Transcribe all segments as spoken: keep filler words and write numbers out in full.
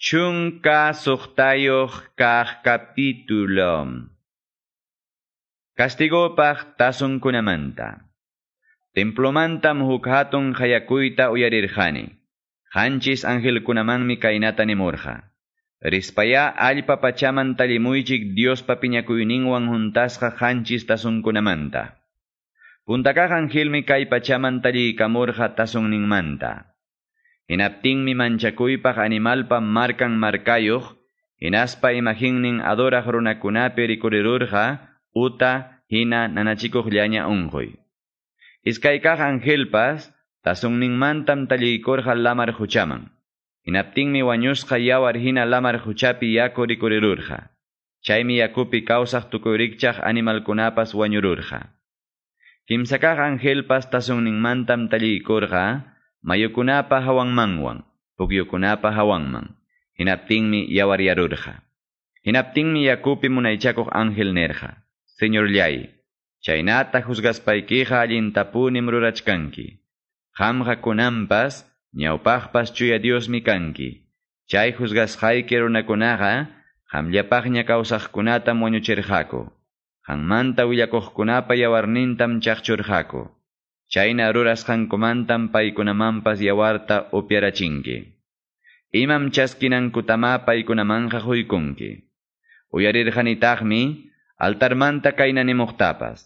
Chunka suqtayuq kaq capítulo. Castigopaq tasunkunamanta. Templomantam huk hatun qayakuyta uyarirqani. Qanchis angelkunamanmi kaynata nimurqa. Rispaya allpa pachaman tallimuychik Diospa piñakuyninwan huntasqa qanchis tasunkunamanta. Puntakaq angelmi kay pachaman talliykamurqa tasunninmanta. Hinaptinmi manchakuypaq animalpa markan markayuq, hinaspa imaginnin adoraq runakunapi rikurirurqa uta hina nanachikuqllaña unquy. Iskaykaq angelpas tasunninmantam talliykurqa lamar huchaman. Hinaptinmi wañusqa yawar hina lamar huchapi yaku rikurirurqa. Chaymi yakupi kawsaq tukuy animalkunapas wañururqa. Kimsakaq angelpas tasunninmantam talliykurqa mayukunapa hawanmanwan, pukyukunapa hawanman. Hinaptinmi yawaryarurqa. Hinaptinmi yakupi munaychakuq ángel nerqa. Señorllay, chaynata juzgaspaykiqa allintapunim rurachkanki. Qamqa kunanpas, ñawpaqpas chuya Diosmi kanki. Chay juzgasqayki runakunaqa, qamllapaqña kawsaqkunatam wañuchirqaku. Qanmanta willakuqkunapa yawarnintam chaqchurqaku. Chayna rurasqankumantam paykunamanpas yawarta upyarachinki. Imam chaskinankutama paykunamanqa huykunki. Uyarirqanitaqmi altarmanta kayna nimuqtapas.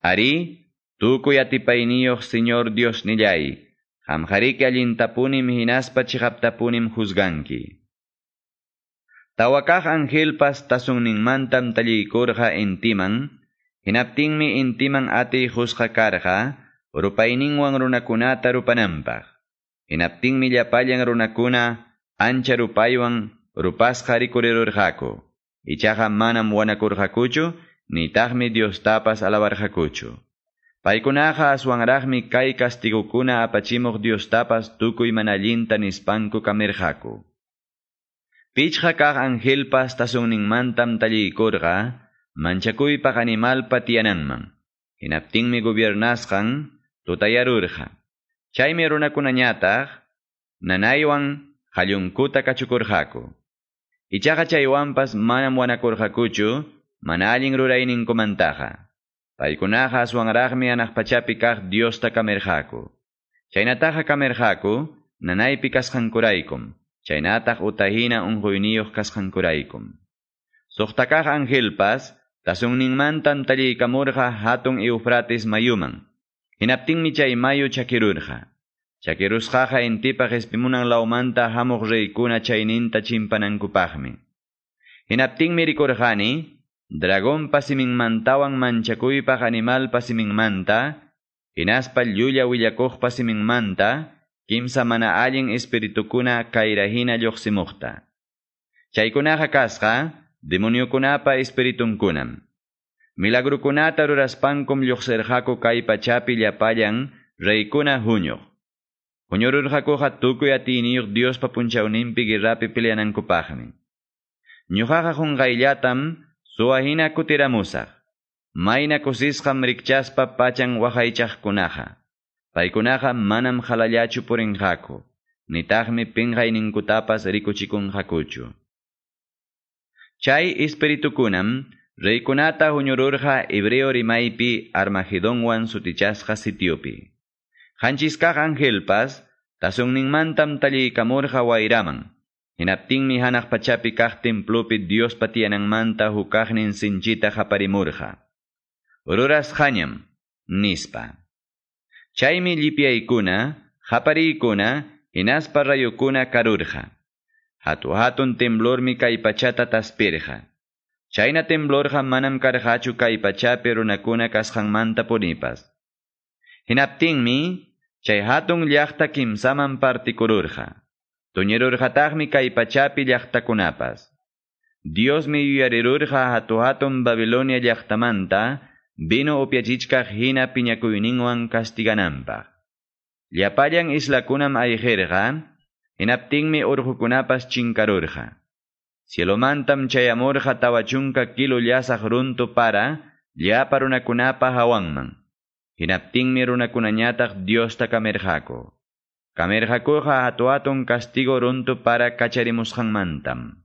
Ari, tukuy atipayniyuq Señor Diosnillay, qamqariki allintapunim hinaspa chiqaptapunim juzganki. Tawakaq angelpas tasunninmantam talliykurqa intiman, hinaptinmi intiman atiy qusqa karqa, rupayninwan runakunata rupananpaq. Hinaptinmi llapallan runakuna ancha rupaywan rupasqa rikurirurqaku. Ichaqa manam wanakurqakuchu, nitaqmi Diostapas alabarqakuchu. Paykunaqa aswanraqmi kay kastigukuna apachimuq Diostapas tukuy mana allinta nispanku kamirqaku. Pichqa kaq angelpas tasunninmantam talliykurqa, manchakuypaq animalpa tiyananman. Hinaptinmi gobiernasqan tutayarurqa. Chaymi runakunañataq nanaywan qallunkuta kachukurqaku. Ichaqa chaywanpas manam wanakurqakuchu, mana allin rurayninkumantaqa. Paykunaqa aswanraqmi hanaq pachapi kaq Diosta kamirqaku. Chaynataqa kamirqaku, nanaypi kasqankuraykum, chaynataq utahina unquyniyuq kasqankuraykum. Suqtakaq angelpas tasunninmantam talliykamurqa hatun Eufrates mayuman. Hinaptinmi chay mayu chakirurqa. Chakirusqaqa intipa qespimunan lawmanta hamuq reykuna chayninta chimpanankupaqmi. Hinaptinmi rikurqani, dragonpa siminmantawan manchakuypaq animalpa siminmanta, hinaspa llulla willakuqpa siminmanta, kimsa mana allin espiritukuna kayrahina lluqsimuqta. Chaykunaqa kasqa, demoniokunapa espiritunkunam. Milagrukunata ruraspankum lluqsirqaku kay pachapi llapallan reykuna huñuq. Huñururqakuqa tukuy atiyniyuq Diospa punchawninpi guerrapi peleanankupaqmi. Ñuqaqa qunqayllatam suwa hina kutiramusaq. Mayna kusisqam rikchaspa pachan waqaychaqkunaqa. Paykunaqa manam qhalallachu purinqaku, nitaqmi pinqayninkutapas rikuchikunqakuchu. Chay espiritukunam reykunata huñururqa hebreo rimaypi Armagedonwan sutichasqa sitiopi. Qanchiskaq angelpas tasunninmantam talliykamurqa wayraman. Hinaptinmi hanaq pachapi kaq templopi Diospa tiyananmanta hukaqnin sinchita qaparimurqa. Rurasqañam, nispa. Chaymi llipyaykuna, qapariykuna, hinaspa rayukuna karurqa. Hatu hatun temblormi kay pachata taspirqa. Chayna temblorqa manam karqachu kay pachapi runakuna kasqanmanta punipas. Hinaptinmi chay hatun llaqta kimsaman partikururqa. Tuñirurqataqmi kay pachapi llaqtakunapas. Diosmi yuyarirurqa hatu hatun Babilonia llaqtamanta vino upyachichkaq hina piñakuyninwan castigananpaq. Llapallan islakunam ayqirqa, hinaptinmi urqukunapas chinkarurqa. Cielomantam chayamurqa tawa chunka kilo llasaq runtu para llapa runakunapa hawanman. Hinaptinmi runakunañataq Diosta kamirqaku. Kamirqakuqa hatu-hatun castigo runtu para kacharimusqanmantam.